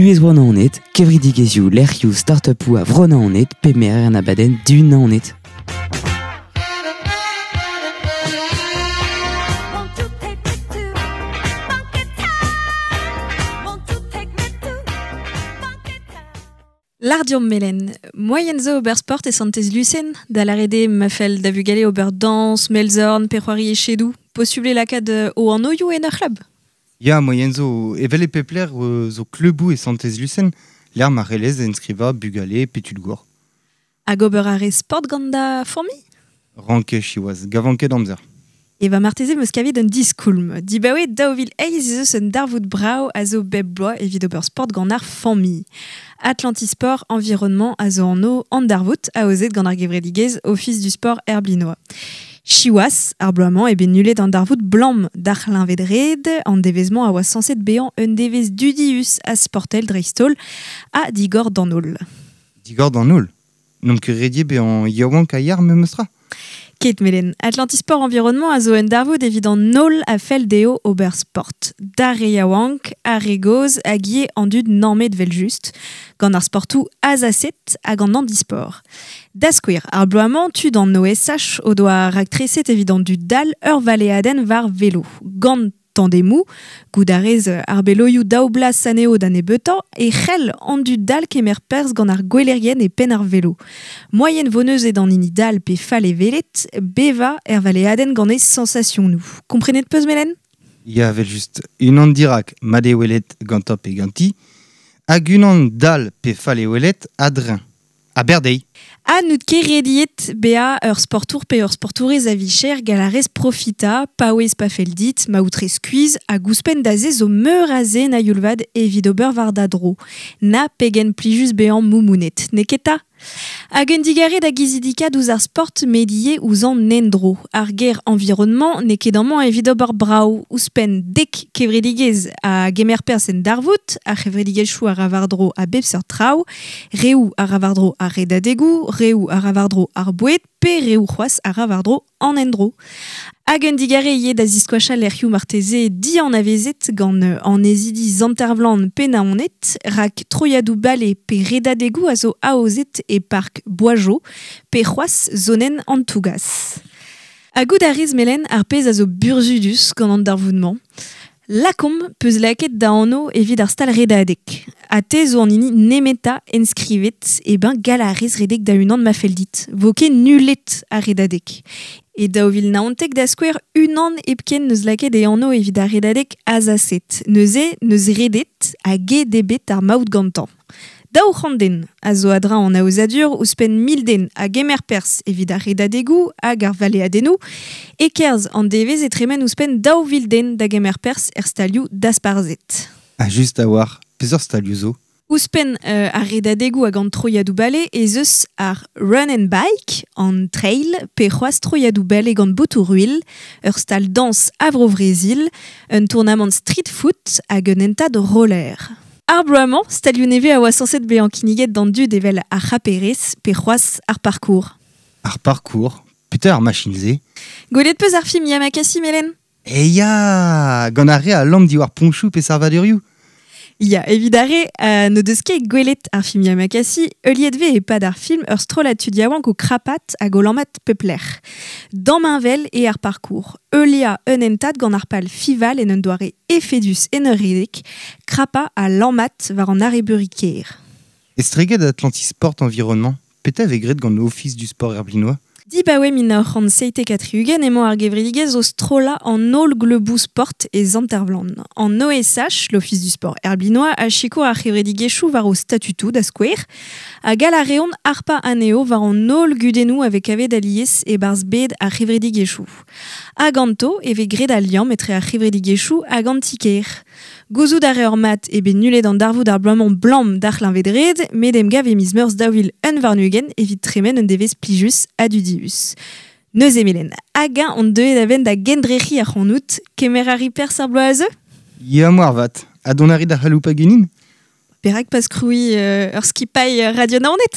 Buhez Bro-Naoned, kevredigezhioù, lec'hioù, start-upoù a Vro-Naoned pe merer an abadenn Du Naoned. Lardiom melen, moaien zo ober sport e Santez Lusen, da lâret eo ma fell da vugale ober dañs, melzorn pe c'hoari echedoù, posubl eo lakaat o anvioù en ur c'hlub. Ya, moaien zo, evel e pep lec'h zo kluboù e Santez Lusen, lec'h ma c'hellez enskrivañ bugale pe tud gour. Hag ober a rez sport gant da familh? Ranket siwazh, gavan ket amzer. E va marteze 'm eus kavet un diskoulm. Dibaoe 2008 ez eus un darvoud brav a zo bep bloaz evit ober sport gant ar familh. Atlantisport Environnement a zo anv an darvoud aozet gant ar gevredigezh Ofis du sport Herblinois. Siwazh, ar bloaz-mañ eo bet nullet an darvoud 'blam d'ar c'hleñved-red. An devezh-mañ a oa sañset bezañ un devezh dudius ha sportel dreist-holl ha digor d'an holl. Digor d'an holl? N'omp ket rediet bezañ yaouank ha yar memes tra? Ket Melen, Atlantisport Environnement a zo un darvoud evit an holl a fell dezho ober sport. D'ar re yaouank, ar re gozh hag ivez an dud nammet evel-just, gant ar sportoù azaset hag an handisport. Da skouer, ar bloaz-mañ, tud an OSH o doa raktreset evit an dud dall ur valeadenn war velo. Gant tandemoù, goût a rez ar beloioù daou blas anezho da nebeutañ, e c'hell an dud dall kemer perzh gant ar gwelerien e penn ar velo. Moaien vo neuze d'an hini dall pe fall e welet bevañ er valeadenn gant e sañsasionoù. Komprenet 'peus, Melen? Ya, evel-just. Unan dirak, mat eo welet gantañ pe ganti, hag unan dall pe fall e welet a-dreñv. Aber dezhi. Ha n'out ket rediet bezañ ur sportour pe ur sportourez a-vicher gall a rez profitañ, paouez pa fell dit, ma out re skuizh hag ouzhpenn da se zo meur a zen a-youl-vat evit ober war da dro. Na pegen plijus bezañ moumounet, n'eo ket 'ta? Hag un digarez da gizidikaat ouzh ar sport met ivez ouzh an endro. Ar ger environnement n'eo ket amañ evit ober brav. Ouzhpenn dek kevredigezh a gemer perzh en darvoud, ar c'hevredigezhioù a ra war-dro a bep seurt traoù, reoù a ra war-dro ar redadegoù, reoù a ra war-dro ar boued pe reoù c'hoazh a ra war-dro an endro. Hag un digarez ivez da ziskoachañ lec'hioù marteze dianavezet gant annezidi Sant-Ervlan pe Naoned, rak troiadoù bale pe redadegoù a zo aozet e park Boisjau pe c'hoazh zonenn an Tougas. Ha goût a rez Melen ar pezh a zo burzhudus gant an darvoud-mañ. Lakaomp 'peus lakaet da anv evit ar stal redadeg. Ha te zo an hini nemetañ enskrivet, eh ben gall a rez redek da-unan ma fell dit. Vo ket nullet ar redadeg. E 2019 da skouer, unan hepken 'neus lakaet e anv evit ar redadeg azaset. Neuze 'neus redet hag aet eo bet ar maout gantañ. 200 den a zo a-dreñv an aozadur, ouzhpenn 1000 den a gemer perzh evit ar redadegoù hag ar valeadennoù. E-kerzh an devezh e tremen ouzhpenn 2000 den da gemer perzh er stalioù dasparzhet. Ha just a-walc'h, peseurt stalioù zo? Ouzhpenn ar redadegoù hag an troiadoù-bale ez eus ar run and bike, an trail pe c'hoazh troiadoù-bale gant botoù-ruilh, ur stal dañs a Vro-Vrezil, un tournamant street foot hag un hentad roller. Ar bloaz-mañ, stalioù nevez a oa sañset bezañ kinniget d'an dud evel ar c'haperez pe c'hoazh ar parkour. Ar parkour? Petra ar machin-se? Gwelet 'peus ar film Yamakasi, Melen? Eh ya! Gant ar re a lamm diwar poñchoù pe savadurioù? Ya, evit ar re n'o deus ket gwelet ar film Yamakasi, heuliet 'vez e-pad ar film ur strollad tud yaouank o krapat hag o lammat pep lec'h. Damheñvel eo ar parkour. Heuliañ un hentad gant ar pal fival en un doare efedus en ur redek, krapañ ha lammat war an arrebeuri kêr. Estreget Atlantisport Environnement, petra e vez graet gant Ofis du sport herblinois? Dibaoe 1977 emañ ar gevredigezh o strollañ an holl gleuboù sport e Sant-Ervlan. An OSH, l'Office du sport herblinois, a sikour ar c'hevredigezhioù war o statutoù da skouer, ha gall a reont harpañ anezho war an holl gudennoù a vez kavet alies e-barzh bed ar c'hevredigezhioù. Ha ganto e vez graet al liamm etre ar c'hevredigezhioù hag an ti-kêr. Gouzout a reor mat eo bet nullet an darvoud ar bloaz-mañ 'blam d'ar c'hleñved-red, met emgav e miz Meurzh 2021 evit tremen un devezh plijus ha dudius. Neuze Melen, hag-eñ on deuet a-benn da gendrec'hiñ ac'hanout, kemer a ri perzh ar bloaz a zeu? Ya moarvat. Ha dont a ri da c'haloupañ ganin? Perak pas krouiñ ur skipailh Radio Naoned?